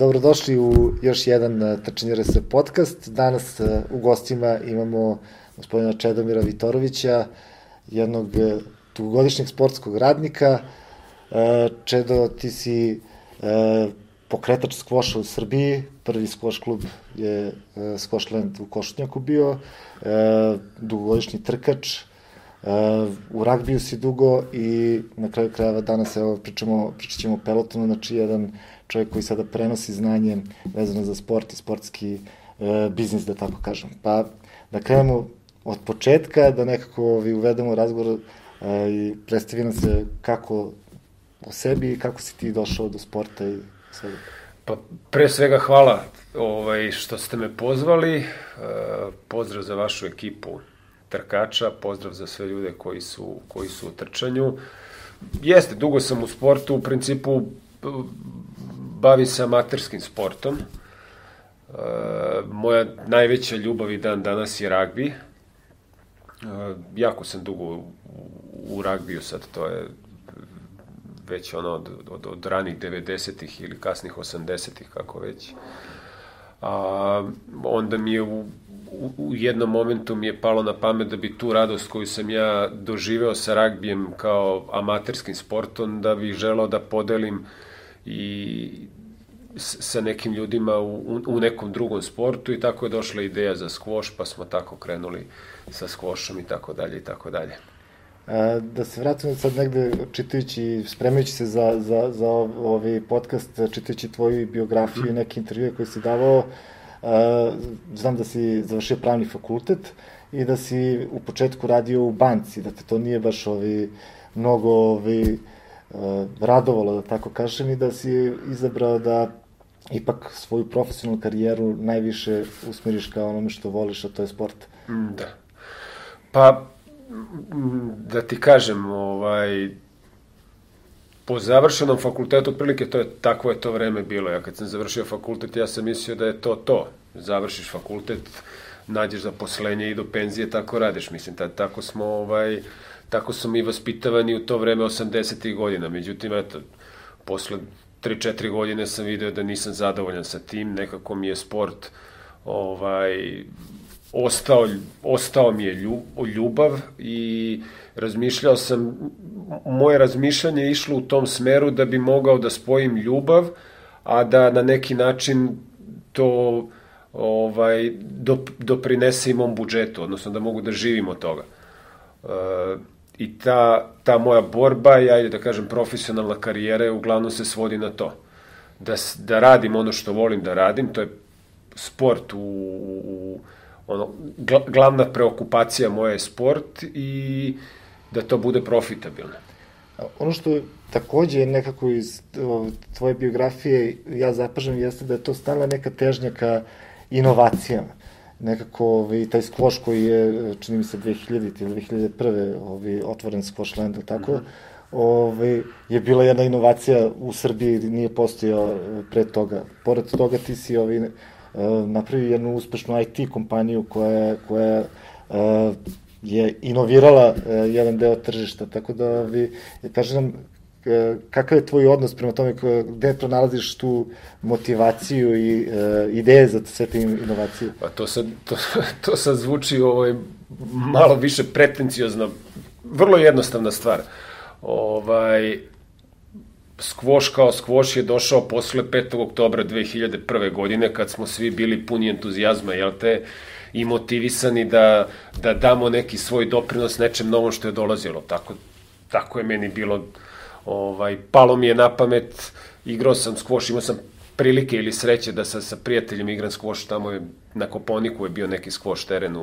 Dobrodošli u još jedan Trčanje RS podcast. Danas u gostima imamo gospodina Čedomira Vitorovića, jednog dugogodišnjeg sportskog radnika. Čedo, ti si pokretač skvoša u Srbiji, prvi skvoš klub je Skvošland u Košutnjaku bio, dugogodišnji trkač, u ragbiju si dugo i na kraju krajeva danas pričat ćemo o pelotonu, znači jedan čovjek koji sada prenosi znanje vezano za sport i sportski biznis, da tako kažem. Pa da krenemo od početka, da nekako uvedemo razgovor i predstavi nam se kako o sebi i kako si ti došao do sporta i svega. Pa pre svega hvala što ste me pozvali, pozdrav za vašu ekipu trkača, pozdrav za sve ljude koji su u trčanju. Jeste, dugo sam u sportu, u principu bavim se amaterskim sportom. Moja najveća ljubav i dan danas je ragbi. Jako sam dugo u ragbiju, sad to je već od ranih 90-ih ili kasnih 80-ih, kako već. Onda mi je u jednom momentu mi je palo na pamet da bi tu radost koju sam ja doživeo sa ragbijem kao amaterskim sportom, da bih želeo da podelim i sa nekim ljudima u nekom drugom sportu, i tako je došla ideja za skvoš, pa smo tako krenuli sa skvošom i tako dalje i tako dalje. Da se vratimo sad negde, čitajući, spremajući se za ovaj podcast, čitajući tvoju biografiju i neke intervjue koje si davao, znam da si završio pravni fakultet i da si u početku radio u banci, da te to nije baš mnogo radovalo, da tako kažem, i da si izabrao da ipak svoju profesionalnu karijeru najviše usmeriš ka onome što voliš, a to je sport. Da. Pa, da ti kažem, po završenom fakultetu, otprilike takvo je to vreme bilo. Ja kad sam završio fakultet, ja sam mislio da je to. Završiš fakultet, nađeš zaposlenje i do penzije tako radiš. Mislim, tako smo mi vaspitavani u to vreme 80-ih godina. Međutim, posle 3-4 godine sam video da nisam zadovoljan sa tim. Nekako mi je sport ostao mi je ljubav i razmišljao sam, moje razmišljanje je išlo u tom smeru da bi mogao da spojim ljubav, a da na neki način to doprinese i mom budžetu, odnosno da mogu da živim od toga. I ta moja borba, da kažem, profesionalna karijera je uglavnom se svodi na to. Da radim ono što volim da radim, to je sport glavna preokupacija moja je sport i da to bude profitabilno. Ono što takođe nekako iz tvoje biografije ja zapažam jeste da je to stalna neka težnja ka inovacijama. Nekako taj skvoš koji je, čini mi se, 2000 ili 2001. Otvoren Skvošland, tako, je bila jedna inovacija u Srbiji, nije postojao pre toga. Pored toga ti si napravio jednu uspešnu IT kompaniju koja je inovirala jedan deo tržišta, tako da kaži nam kakav je tvoj odnos prema tome, gde pronalaziš tu motivaciju i ideje za sve te inovacije? Pa to sad zvuči malo više pretenciozno, vrlo jednostavna stvar. Skvoš kao skvoš je došao posle 5. oktobra 2001. godine, kad smo svi bili puni entuzijazma, i motivisani da damo neki svoj doprinos nečem novom što je dolazilo. Tako je meni bilo, palo mi je na pamet, igrao sam skvoš, imao sam prilike ili sreće da sa prijateljem igram skvoš, tamo je na Koponiku je bio neki skvoš teren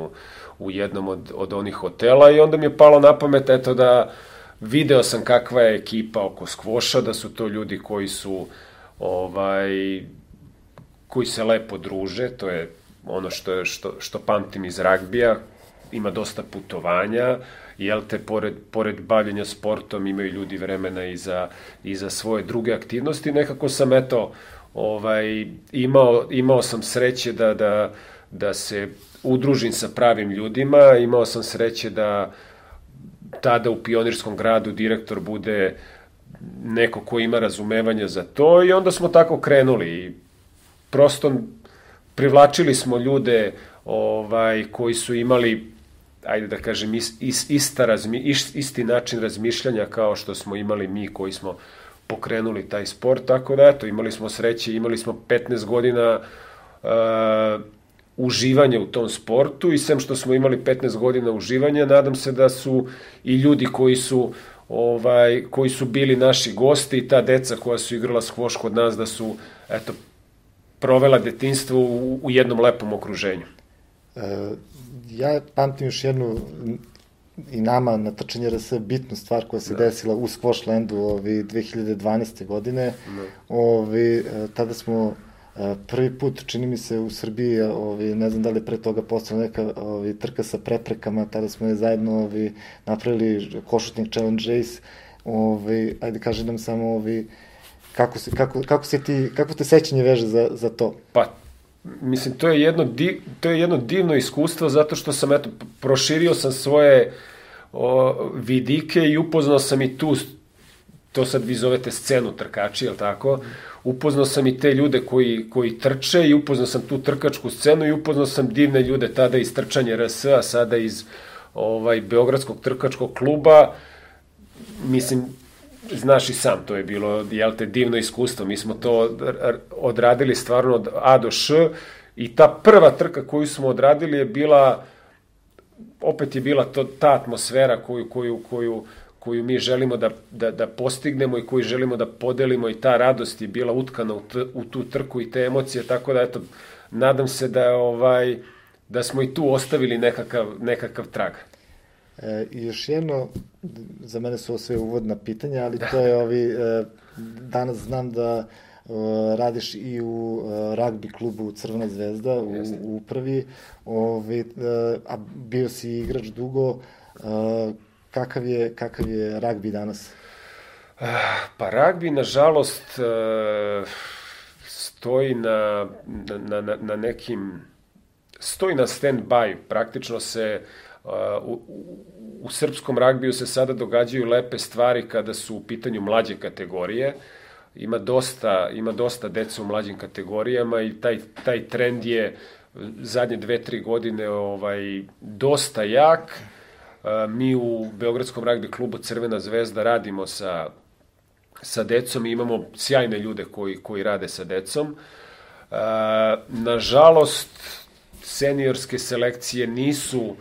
u jednom od onih hotela, i onda mi je palo na pamet, da video sam kakva je ekipa oko skvoša, da su to ljudi koji se lepo druže, to je ono što pamtim iz ragbija, ima dosta putovanja, pored bavljenja sportom imaju ljudi vremena i za svoje druge aktivnosti. Nekako sam, imao sam sreće da se udružim sa pravim ljudima, imao sam sreće da tada u Pionirskom gradu direktor bude neko ko ima razumevanja za to, i onda smo tako krenuli. prosto privlačili smo ljude koji su imali, ajde da kažem, isti način razmišljanja kao što smo imali mi koji smo pokrenuli taj sport, tako da eto, imali smo sreće, imali smo 15 godina uživanja u tom sportu i sem što smo imali 15 godina uživanja, nadam se da su i ljudi koji su bili naši gosti i ta deca koja su igrala skvoš kod nas da su, eto, provela detinjstvo u jednom lepom okruženju. Ja pamtim još jednu i nama na trčanje RS bitnu stvar koja se desila u Skvošlandu 2012. godine. Tada smo prvi put, čini mi se, u Srbiji, ne znam da li je pre toga postala neka trka sa preprekama, tada smo je zajedno napravili Košutnjak Challenge Race. Ajde, kaži nam samo kako te sećanje veže za to? Pa, mislim, to je jedno divno iskustvo zato što sam, eto, proširio sam svoje vidike i upoznao sam i tu, to sad vi zovete scenu trkači, je li tako? Upoznao sam i te ljude koji trče i upoznao sam tu trkačku scenu i upoznao sam divne ljude tada iz trčanja RS, a sada iz Beogradskog trkačkog kluba. Mislim, znaš i sam, to je bilo, jel te, divno iskustvo. Mi smo to odradili stvarno od A do Š i ta prva trka koju smo odradili je bila, opet je bila ta atmosfera koju mi želimo da postignemo i koju želimo da podelimo i ta radost je bila utkana u tu trku i te emocije, tako da, eto, nadam se da smo i tu ostavili nekakav trag. I još jedno, za mene su ovo sve uvodna pitanja, ali to je danas znam da radiš i u ragbi klubu Crvena zvezda u upravi, a bio si igrač dugo. Kakav je ragbi danas? Pa ragbi, nažalost, stoji stoji na stand-by. Praktično se u srpskom ragbiju se sada događaju lepe stvari kada su u pitanju mlađe kategorije. Ima dosta deca u mlađim kategorijama i taj trend je zadnje 2-3 godine dosta jak. Mi u Beogradskom ragbi klubu Crvena zvezda radimo sa decom i imamo sjajne ljude koji rade sa decom. Nažalost, seniorske selekcije nisu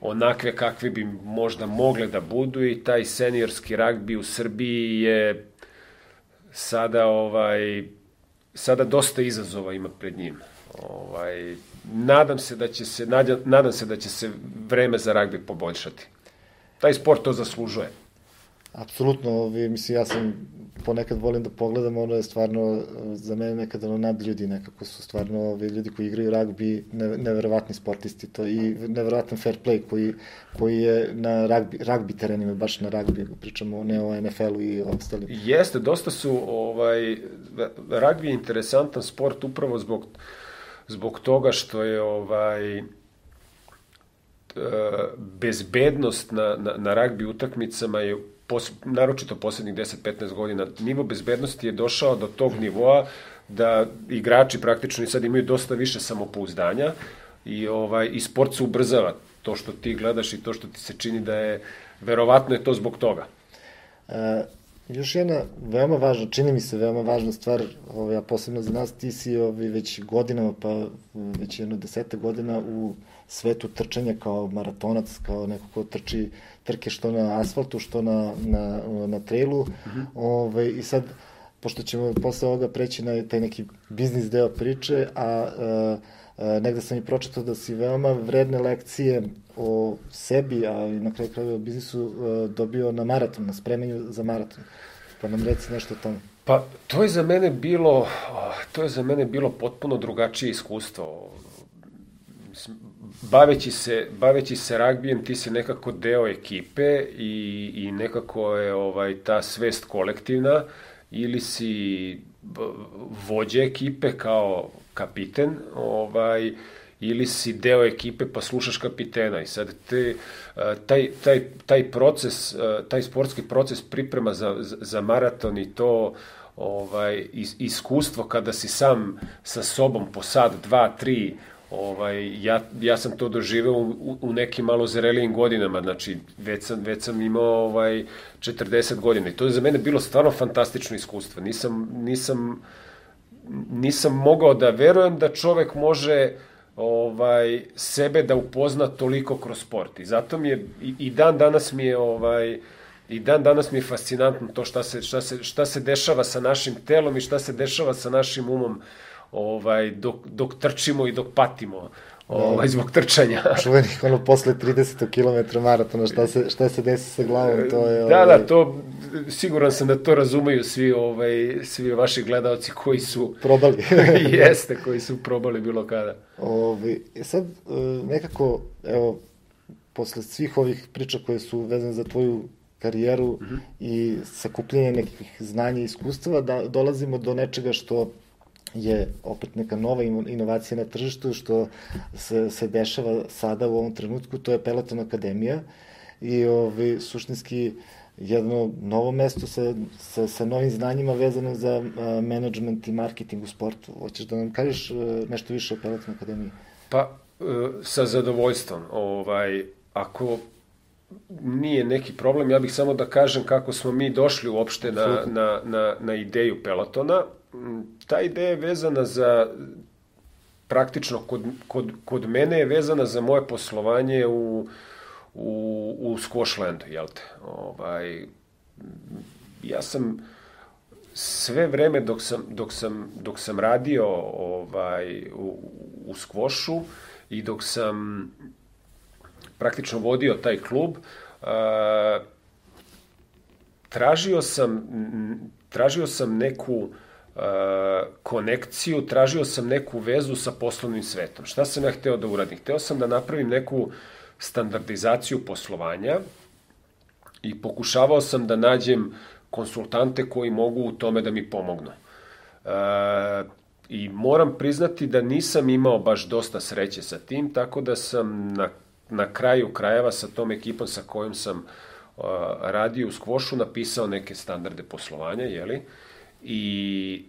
onakve kakve bi možda mogle da budu i taj seniorski ragbi u Srbiji je sada dosta izazova ima pred njim. Nadam se da će se vreme za ragbi poboljšati. Taj sport to zaslužuje. Apsolutno, mislim, ja sam ponekad volim da pogledam, ono je stvarno za mene nekada nadljudi, nekako su stvarno ljudi koji igraju ragbi neverovatni sportisti, to i neverovatan fair play koji je na ragbi terenima, baš na ragbi, pričamo ne o NFL-u i ostali. Jeste, dosta su, ragbi je interesantan sport upravo zbog toga što je bezbednost na ragbi utakmicama je naročito poslednjih 10-15 godina. Nivo bezbednosti je došao do tog nivoa da igrači praktično i sad imaju dosta više samopouzdanja i sport se ubrzava. To što ti gledaš i to što ti se čini da je, verovatno je to zbog toga. Još jedna veoma važna, čini mi se veoma važna stvar, a posebno za nas, ti si već godinama, pa već 10 godina u svetu trčanja kao maratonac, kao neko ko trči trke što na asfaltu, što na trailu. I sad, pošto ćemo posle ovoga preći na taj neki biznis deo priče, a negde sam i pročitao da si veoma vredne lekcije o sebi, a i na kraju krajeva o biznisu dobio na maraton, na spremanju za maraton. Pa nam reci nešto o tome. Pa, to je za mene bilo potpuno drugačije iskustvo. Baveći se ragbijem, ti si nekako deo ekipe i nekako je ta svest kolektivna, ili si vođa ekipe kao kapiten, ili si deo ekipe pa slušaš kapitena i sad taj proces, taj sportski proces priprema za maraton i to iskustvo kada si sam sa sobom po sat, 2, 3, ja sam to doživeo u nekim malo zrelijim godinama, znači već sam imao 40 godina i to je za mene bilo stvarno fantastično iskustvo. Nisam mogao da verujem da čovek može sebe da upozna toliko kroz sport i zato mi je i dan danas mi je fascinantno to šta se dešava sa našim telom i šta se dešava sa našim umom dok trčimo i dok patimo zbog trčanja. Čuvenih posle 30 km maratona, šta se desi sa glavom, to je... Da, to, siguran sam da to razumeju svi vaši gledalci koji su... Probali. Jeste, koji su probali bilo kada. Sad, nekako, evo, posle svih ovih priča koje su vezane za tvoju karijeru i sakupljenje nekih znanja i iskustava, dolazimo do nečega što je opet neka nova inovacija na tržištu, što se dešava sada u ovom trenutku, to je Peloton Akademija i suštinski jedno novo mesto sa novim znanjima vezano za menadžment i marketing u sportu. Hoćeš da nam kažeš nešto više o Peloton Akademiji? Pa, sa zadovoljstvom. Ako nije neki problem, ja bih samo da kažem kako smo mi došli uopšte na ideju Pelotona. Ta ideja je vezana za, praktično kod mene je vezana za moje poslovanje u Squashlandu, jel te? Ja sam sve vreme dok sam radio u Squashu i dok sam praktično vodio taj klub, tražio sam neku konekciju, tražio sam neku vezu sa poslovnim svetom. Šta sam ja hteo da uradim? Hteo sam da napravim neku standardizaciju poslovanja i pokušavao sam da nađem konsultante koji mogu u tome da mi pomognu. I moram priznati da nisam imao baš dosta sreće sa tim, tako da sam na kraju krajeva sa tom ekipom sa kojom sam radio u Squashu napisao neke standarde poslovanja, jeli? I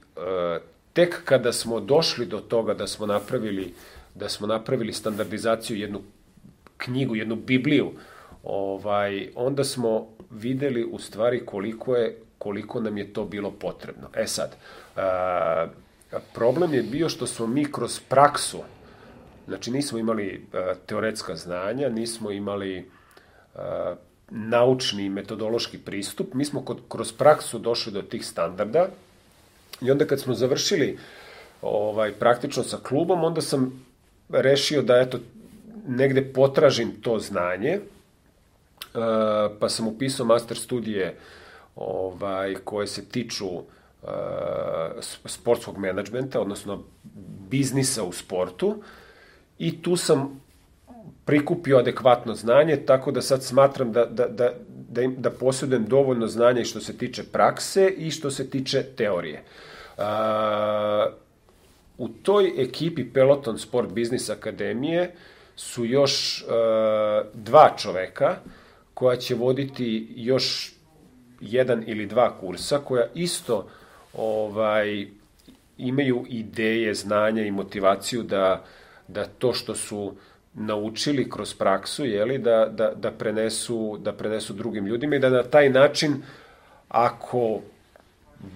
tek kada smo došli do toga da smo napravili standardizaciju, jednu knjigu, jednu Bibliju, onda smo videli u stvari koliko nam je to bilo potrebno. Sad, problem je bio što smo mi kroz praksu, znači nismo imali teoretska znanja, nismo imali naučni i metodološki pristup, mi smo kroz praksu došli do tih standarda i onda kad smo završili praktično sa klubom, onda sam rešio da negde potražim to znanje, pa sam upisao master studije koje se tiču sportskog menadžmenta, odnosno biznisa u sportu, i tu sam prikupio adekvatno znanje, tako da sad smatram da posjedujem dovoljno znanja i što se tiče prakse i što se tiče teorije. U toj ekipi Peloton Sport Business Akademije su još 2 čoveka koja će voditi još 1 ili 2 kursa, koja isto imaju ideje, znanja i motivaciju da to što su naučili kroz praksu, jeli, da prenesu drugim ljudima i da na taj način, ako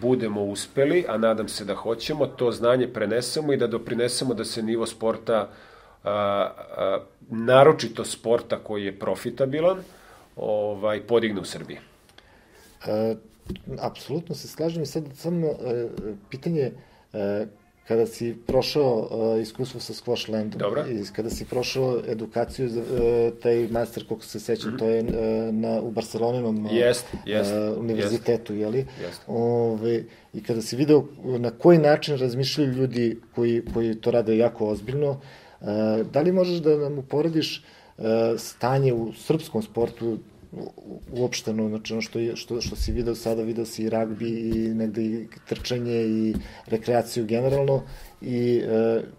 budemo uspeli, a nadam se da hoćemo, to znanje prenesemo i da doprinesemo da se nivo sporta, naročito sporta koji je profitabilan, podigne u Srbiji. Apsolutno se slažem i sad samo pitanje, kada si prošao iskustvo sa Squashlandom i kada si prošao edukaciju za taj master, koliko se sećam, to je u Barcelonenom univerzitetu, jeli? I kada si video na koji način razmišljaju ljudi koji to rade jako ozbiljno, da li možeš da nam uporediš stanje u srpskom sportu uopšteno, znači ono što si video sada, video si i ragbi i negde i trčanje i rekreaciju generalno i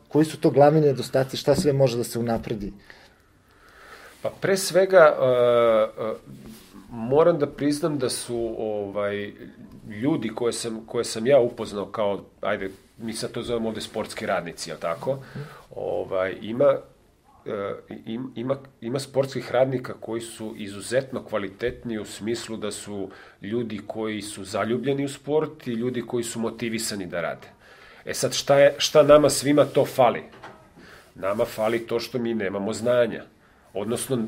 koji su to glavni nedostaci, šta sve može da se unapredi? Pa pre svega moram da priznam da su ljudi koje sam ja upoznao kao, ajde, mi sad to zovemo ovde sportski radnici, jel tako? Ima sportskih radnika koji su izuzetno kvalitetni u smislu da su ljudi koji su zaljubljeni u sport i ljudi koji su motivisani da rade. E sad, šta nama svima to fali? Nama fali to što mi nemamo znanja. Odnosno,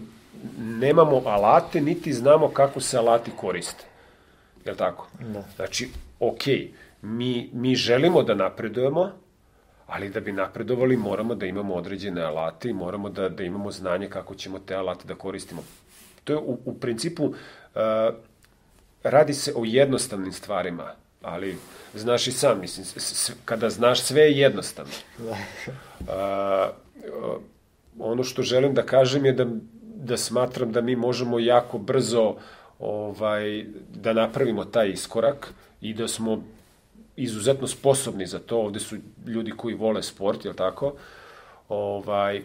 nemamo alate, niti znamo kako se alati koriste. Jel' tako? Da. Znači, okej, mi želimo da napredujemo, ali da bi napredovali moramo da imamo određene alate i moramo da imamo znanje kako ćemo te alate da koristimo. To je u principu, radi se o jednostavnim stvarima, ali znaš i sam, mislim, kada znaš sve je jednostavno. Ono što želim da kažem je da smatram da mi možemo jako brzo da napravimo taj iskorak i da smo izuzetno sposobni za to. Ovde su ljudi koji vole sport, jel' tako?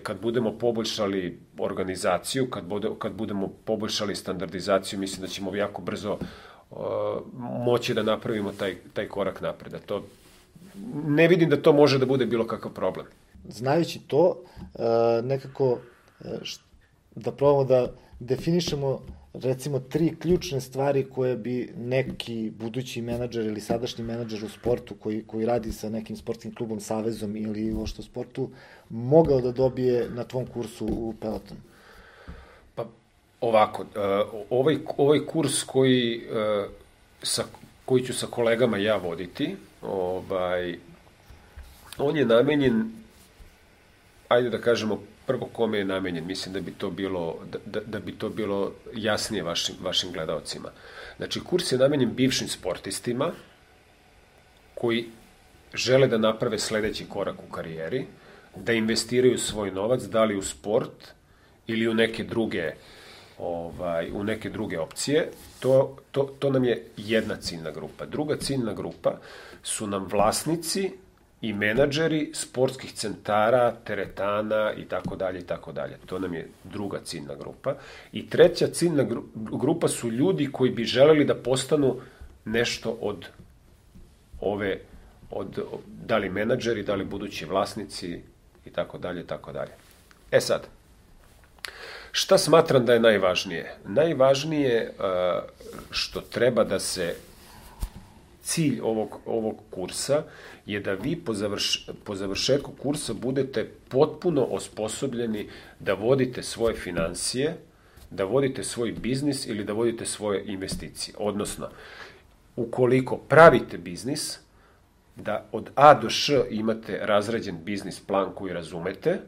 Kad budemo poboljšali organizaciju, kad budemo poboljšali standardizaciju, mislim da ćemo jako brzo moći da napravimo taj korak napred. Ne vidim da to može da bude bilo kakav problem. Znajući to, nekako da probamo da definišemo recimo 3 ključne stvari koje bi neki budući menadžer ili sadašnji menadžer u sportu koji radi sa nekim sportskim klubom, savezom ili uopšte u sportu mogao da dobije na tvom kursu u Pelotonu. Pa ovako, ovaj kurs koji ću sa kolegama ja voditi, on je namenjen, ajde da kažemo, prvo kome je namenjen, mislim da bi to bilo jasnije vašim gledalcima. Znači, kurs je namenjen bivšim sportistima koji žele da naprave sledeći korak u karijeri, da investiraju svoj novac, da li u sport ili u neke druge opcije. To nam je jedna ciljna grupa. Druga ciljna grupa su nam vlasnici i menadžeri sportskih centara, teretana i tako dalje i tako dalje. To nam je druga ciljna grupa. I treća ciljna grupa su ljudi koji bi želeli da postanu nešto od da li menadžeri, da li budući vlasnici i tako dalje i tako dalje. E sad, šta smatram da je najvažnije? Najvažnije što treba da se cilj ovog kursa je da vi po završetku kursa budete potpuno osposobljeni da vodite svoje financije, da vodite svoj biznis ili da vodite svoje investicije. Odnosno, ukoliko pravite biznis, da od A do Š imate razrađen biznis plan koji razumete,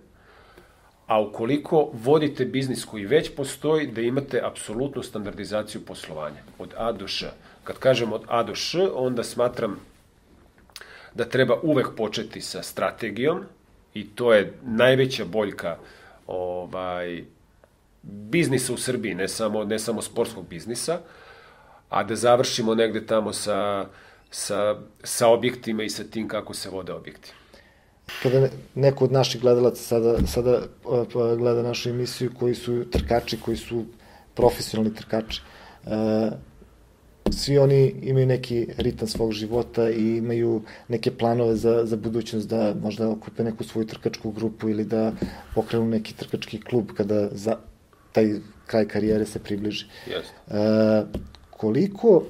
a ukoliko vodite biznis koji već postoji, da imate apsolutnu standardizaciju poslovanja, od A do Š. Kad kažem od A do Š, onda smatram da treba uvek početi sa strategijom i to je najveća boljka biznisa u Srbiji, ne samo sportskog biznisa, a da završimo negde tamo sa objektima i sa tim kako se vode objekti. Kada neko od naših gledalaca sada gleda našu emisiju koji su trkači, koji su profesionalni trkači, svi oni imaju neki ritam svog života i imaju neke planove za budućnost, da možda okupe neku svoju trkačku grupu ili da pokrenu neki trkački klub kada taj kraj karijere se približi. Koliko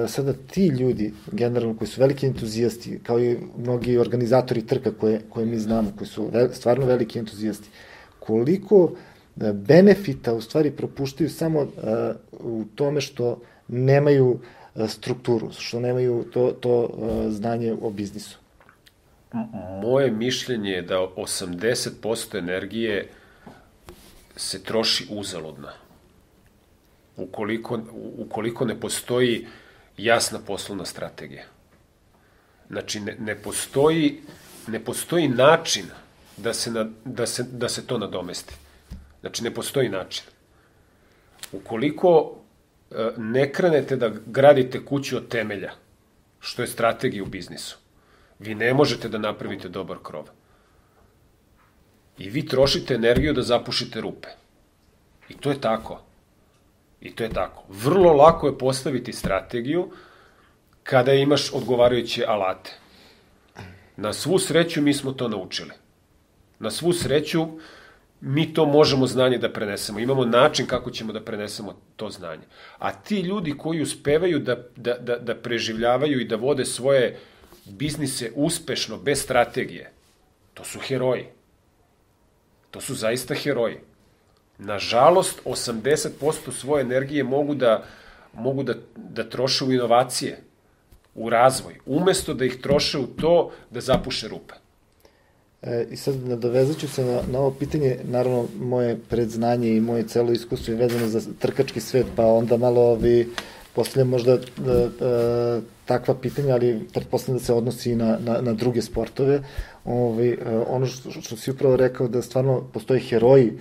sada ti ljudi, generalno, koji su veliki entuzijasti, kao i mnogi organizatori trka koje mi znamo, koji su stvarno veliki entuzijasti, koliko benefita u stvari propuštaju samo u tome što nemaju strukturu, što nemaju to znanje o biznisu? Moje mišljenje je da 80% energije se troši uzaludno. Ukoliko ne postoji jasna poslovna strategija. Znači, ne postoji način da se to nadomesti. Znači, ne postoji način. Ukoliko ne krenete da gradite kuću od temelja, što je strategija u biznisu, vi ne možete da napravite dobar krov. I vi trošite energiju da zapušite rupe. I to je tako. I to je tako. Vrlo lako je postaviti strategiju kada imaš odgovarajuće alate. Na svu sreću mi smo to naučili. Na svu sreću mi to možemo znanje da prenesemo. Imamo način kako ćemo da prenesemo to znanje. A ti ljudi koji uspevaju da preživljavaju i da vode svoje biznise uspešno, bez strategije, to su heroji. To su zaista heroji. Nažalost, 80% svoje energije mogu da troše u inovacije, u razvoj, umesto da ih troše u to da zapuše rupe. I sad nadovezat ću se na ovo pitanje, naravno moje predznanje i moje celo iskustvo je vezano za trkački svet, pa onda malo postavljam možda takva pitanja, ali pretpostavljam da se odnosi i na druge sportove. Ono što si upravo rekao, da stvarno postoje heroji,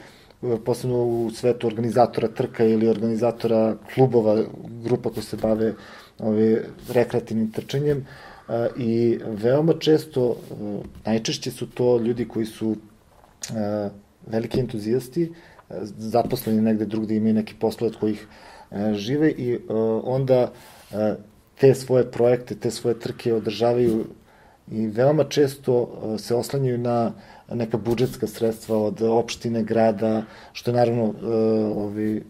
posebno u svetu organizatora trka ili organizatora klubova, grupa koji se bave rekreativnim trčanjem, i veoma često, najčešće su to ljudi koji su veliki entuzijasti, zaposleni negde drugde, imaju neki poslove od kojih žive i onda te svoje projekte, te svoje trke održavaju i veoma često se oslanjaju na neka budžetska sredstva od opštine, grada, što je naravno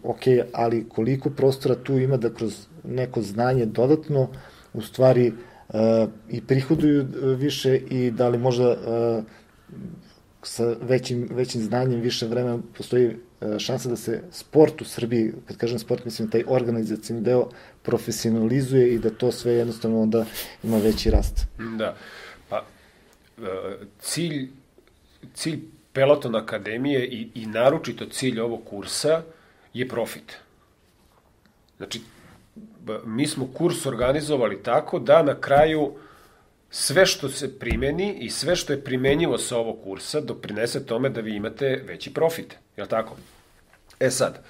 ok, ali koliko prostora tu ima da kroz neko znanje dodatno u stvari i prihoduju više i da li možda sa većim znanjem, više vremena postoji šansa da se sport u Srbiji, kad kažem sport, mislim taj organizacijni deo, profesionalizuje i da to sve jednostavno onda ima veći rast. Da, pa cilj Peloton Akademije i naročito cilj ovog kursa je profit. Znači, mi smo kurs organizovali tako da na kraju sve što se primeni i sve što je primenjivo sa ovog kursa doprinese tome da vi imate veći profit. Je li tako? E sad,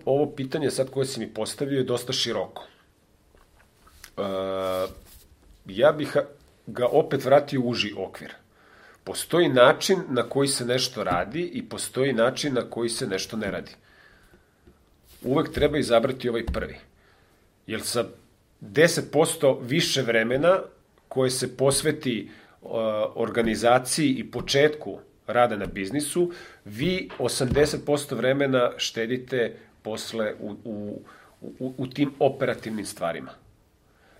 ovo pitanje sad koje si mi postavio je dosta široko. Ja bih ga opet vratio u uži okvir. Postoji način na koji se nešto radi i postoji način na koji se nešto ne radi. Uvek treba izabrati ovaj prvi. Jer sa 10% više vremena koje se posveti organizaciji i početku rada na biznisu, vi 80% vremena štedite posle u tim operativnim stvarima.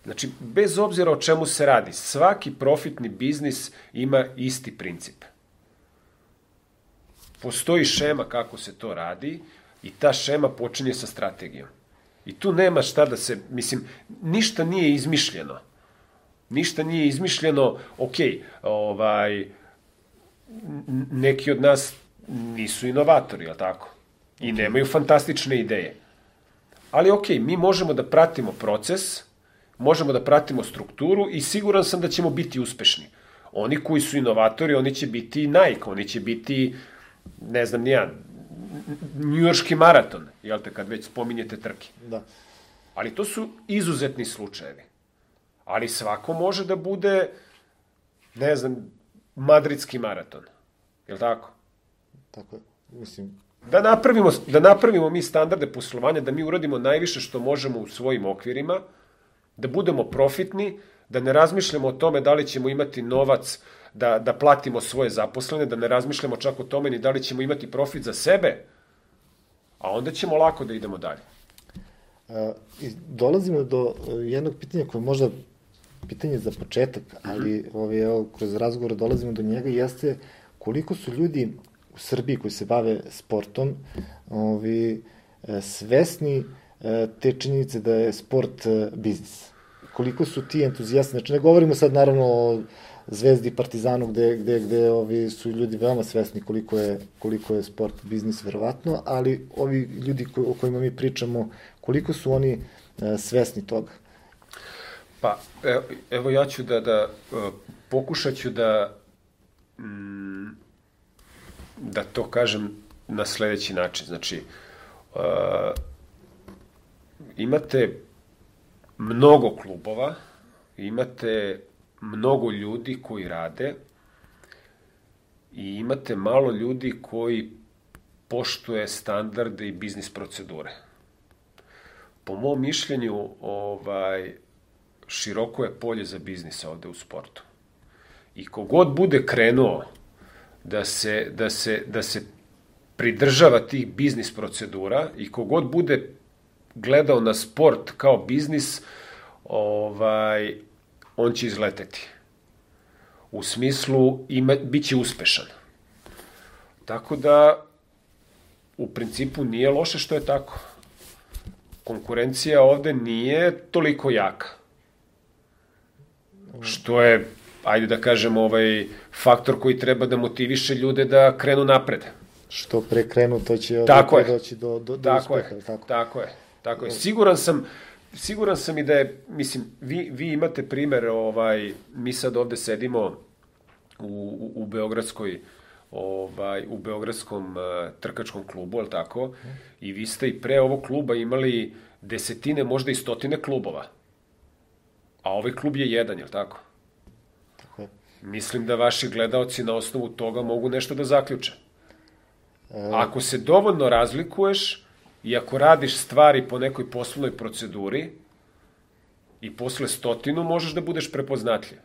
Znači, bez obzira o čemu se radi, svaki profitni biznis ima isti princip. Postoji šema kako se to radi i ta šema počinje sa strategijom. I tu nema šta da se, mislim, ništa nije izmišljeno. Ništa nije izmišljeno, neki od nas nisu inovatori, jel tako? I nemaju fantastične ideje. Ali mi možemo da pratimo proces, možemo da pratimo strukturu i siguran sam da ćemo biti uspešni. Oni koji su inovatori, oni će biti Nike, oni će biti, ne znam ni ja, njujorški maraton, jel te, kad već spominjete trke. Da. Ali to su izuzetni slučajevi. Ali svako može da bude, ne znam, madridski maraton. Jel tako? Tako je, mislim. Da napravimo mi standarde poslovanja, da mi uradimo najviše što možemo u svojim okvirima, da budemo profitni, da ne razmišljamo o tome da li ćemo imati novac da platimo svoje zaposlene, da ne razmišljamo čak o tome ni da li ćemo imati profit za sebe, a onda ćemo lako da idemo dalje. I dolazimo do jednog pitanja koje je možda pitanje za početak, ali kroz razgovor dolazimo do njega, jeste koliko su ljudi u Srbiji koji se bave sportom svesni te činjenice da je sport biznis. Koliko su ti entuzijasti, znači ne govorimo sad naravno o Zvezdi i Partizanu gde su ljudi veoma svesni koliko je sport biznis verovatno, ali ovi ljudi o kojima mi pričamo, koliko su oni svesni toga? Pa, evo ja ću pokušat ću da to kažem na sledeći način. Znači, imate mnogo klubova, imate mnogo ljudi koji rade i imate malo ljudi koji poštuje standarde i biznis procedure. Po mom mišljenju, široko je polje za biznis ovde u sportu. I kogod bude krenuo da se pridržava tih biznis procedura i kogod bude gledao na sport kao biznis, on će izleteti. U smislu, bit će uspešan. Tako da, u principu, nije loše što je tako. Konkurencija ovde nije toliko jaka. Što je, ajde da kažem, faktor koji treba da motiviše ljude da krenu napred. Što pre krenu, to će doći do uspeha. Tako je. Siguran sam i da je, mislim, vi imate primer, mi sad ovde sedimo u Beogradskom trkačkom klubu, ali tako, i vi ste i pre ovog kluba imali desetine, možda i stotine klubova. A ovaj klub je jedan, je li tako? Tako je. Mislim da vaši gledaoci na osnovu toga mogu nešto da zaključe. Ako se dovoljno razlikuješ i ako radiš stvari po nekoj poslovnoj proceduri i posle 100 možeš da budeš prepoznatljiv.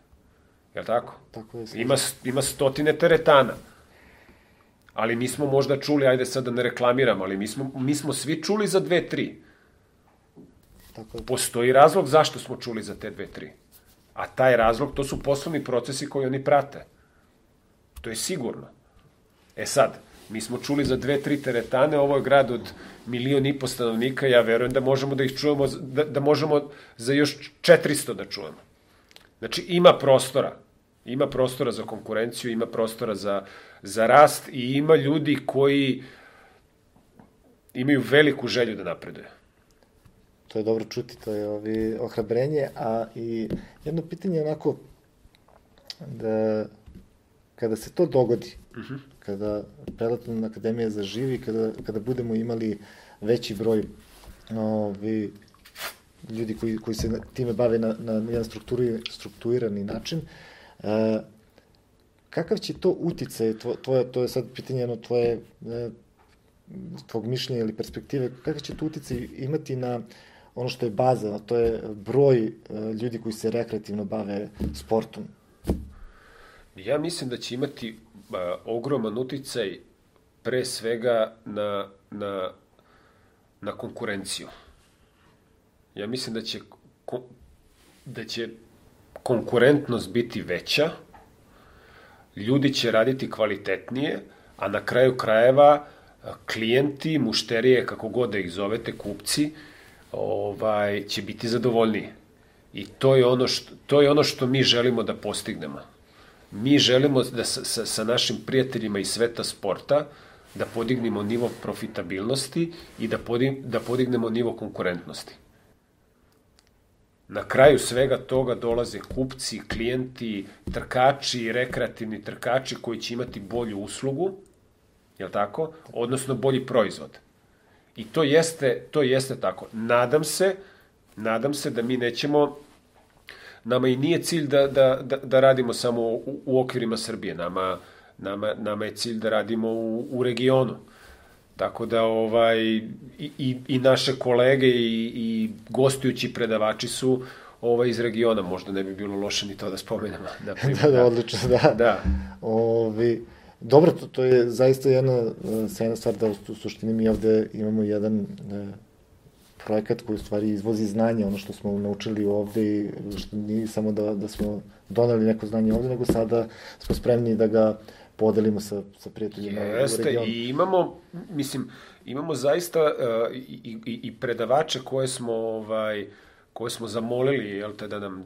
Je li tako? Tako je. Ima 100 teretana. Ali mi smo možda čuli, ajde sad da ne reklamiramo, ali mi smo svi čuli za 2-3. Postoji razlog zašto smo čuli za te 2-3. A taj razlog, to su poslovni procesi koji oni prate. To je sigurno. E sad, mi smo čuli za 2-3 teretane, ovo je grad od 1,5 miliona stanovnika, ja verujem da možemo da ih čujemo, da možemo za još 400 da čujemo. Znači, ima prostora za konkurenciju, ima prostora za rast i ima ljudi koji imaju veliku želju da napreduje. To je dobro čuti, to je ohrabrenje, a i jedno pitanje onako, da kada se to dogodi, kada Peloton Akademija zaživi, kada budemo imali veći broj ljudi koji se time bave na jedan strukturirani način, kakav će to uticaj, to je sad pitanje tvog mišljenja ili perspektive, kakav će to uticaj imati na ono što je baza, to je broj ljudi koji se rekreativno bave sportom? Ja mislim da će imati ogroman uticaj pre svega na konkurenciju. Ja mislim da će konkurentnost biti veća, ljudi će raditi kvalitetnije, a na kraju krajeva klijenti, mušterije, kako god da ih zovete, kupci, će biti zadovoljniji. I to je ono što mi želimo da postignemo. Mi želimo da sa našim prijateljima iz sveta sporta da podignemo nivo profitabilnosti i da podignemo nivo konkurentnosti. Na kraju svega toga dolaze kupci, klijenti, trkači, rekreativni trkači koji će imati bolju uslugu, je li tako? Odnosno bolji proizvod. I to jeste tako. Nadam se da mi nećemo, nama i nije cilj da radimo samo u okvirima Srbije, nama je cilj da radimo u regionu. Tako da i naše kolege i gostujući predavači su iz regiona, možda ne bi bilo loše ni to da spomenemo. Da, odlično, da. Dobro, to je zaista jedna sjajna stvar da u suštini mi ovde imamo jedan projekat koji u stvari izvozi znanje, ono što smo naučili ovde i što nije samo da smo doneli neko znanje ovde, nego sada smo spremni da ga podelimo sa prijateljima u regionu. I imamo zaista i predavače koje smo zamolili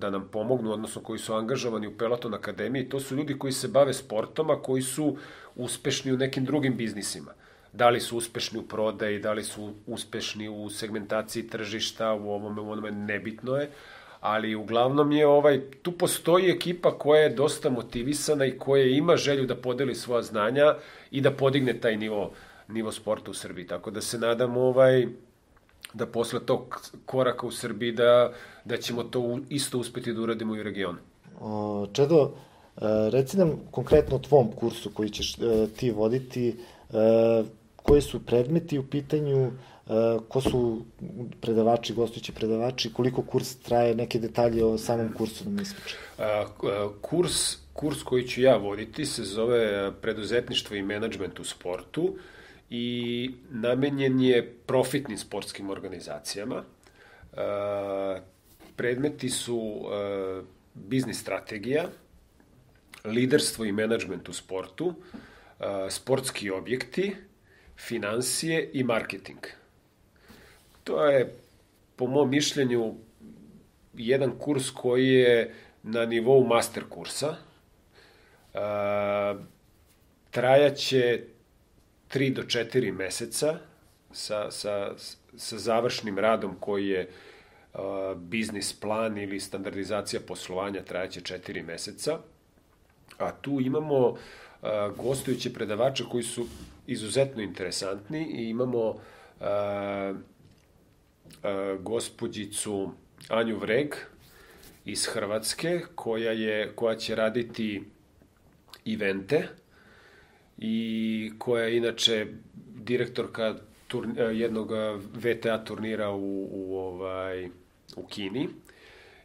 da nam pomognu, odnosno koji su angažovani u Peloton Akademiji. To su ljudi koji se bave sportom, a koji su uspešni u nekim drugim biznisima. Da li su uspešni u prodaji, da li su uspešni u segmentaciji tržišta, u onome, nebitno je. Ali uglavnom tu postoji ekipa koja je dosta motivisana i koja ima želju da podeli svoja znanja i da podigne taj nivo sporta u Srbiji. Tako da se nadam da posle tog koraka u Srbiji da ćemo to isto uspeti da uradimo i u regionu. Čedo, reci nam konkretno o tvom kursu koji ćeš ti voditi, koji su predmeti u pitanju, ko su predavači, gostujući predavači, koliko kurs traje, neke detalje o samom kursu nam ispričaj. Kurs koji ću ja voditi se zove Preduzetništvo i menadžment u sportu i namenjen je profitnim sportskim organizacijama. Predmeti su biznis strategija, liderstvo i menadžment u sportu, sportski objekti, finansije i marketing. To je, po mom mišljenju, jedan kurs koji je na nivou master kursa. Trajaće 3 do 4 meseca sa završnim radom koji je biznis plan ili standardizacija poslovanja, trajaće 4 meseca. A tu imamo gostujuće predavače koji su izuzetno interesantni i imamo gospođicu Anju Vreg iz Hrvatske koja će raditi evente i koja je inače direktorka jednog VTA turnira u Kini.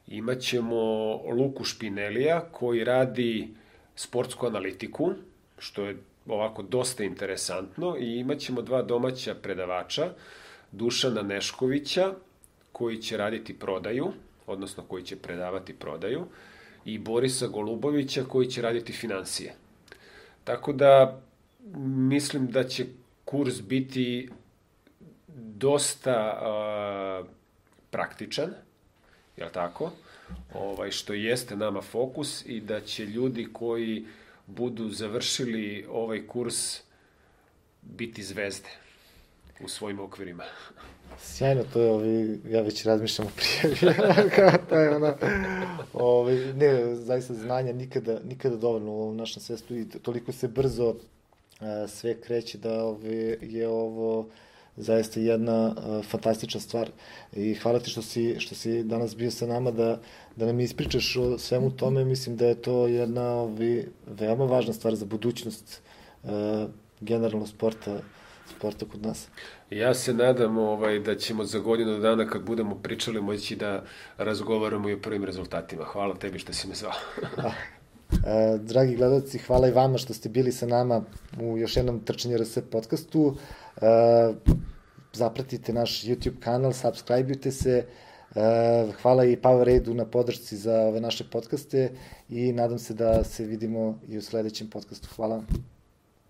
Imaćemo Luku Špinelija koji radi sportsku analitiku, što je ovako dosta interesantno, i imaćemo 2 domaća predavača, Dušana Neškovića koji će raditi prodaju, odnosno koji će predavati prodaju, i Borisa Golubovića koji će raditi finansije. Tako da mislim da će kurs biti dosta praktičan, jel tako? Što jeste nama fokus, i da će ljudi koji budu završili ovaj kurs biti zvezde u svojim okvirima. Sjajno, to je, ja već razmišljam o prijavi. Ne, zaista znanja nikada dovoljno u ovom našem svetu i toliko se brzo sve kreće da je ovo zaista jedna fantastična stvar. I hvala ti što si danas bio sa nama da nam ispričaš o svemu tome. Mislim da je to jedna veoma važna stvar za budućnost generalno sporta kod nas. Ja se nadam da ćemo za godinu dana, kad budemo pričali, moći da razgovaramo i o prvim rezultatima. Hvala tebi što si me zvao. Dragi gledalci, hvala i vama što ste bili sa nama u još jednom Trčanje RS podcastu. Zapratite naš YouTube kanal, subscribe-ujte se. Hvala i Powerade-u na podršci za ove naše podcaste i nadam se da se vidimo i u sledećem podcastu. Hvala.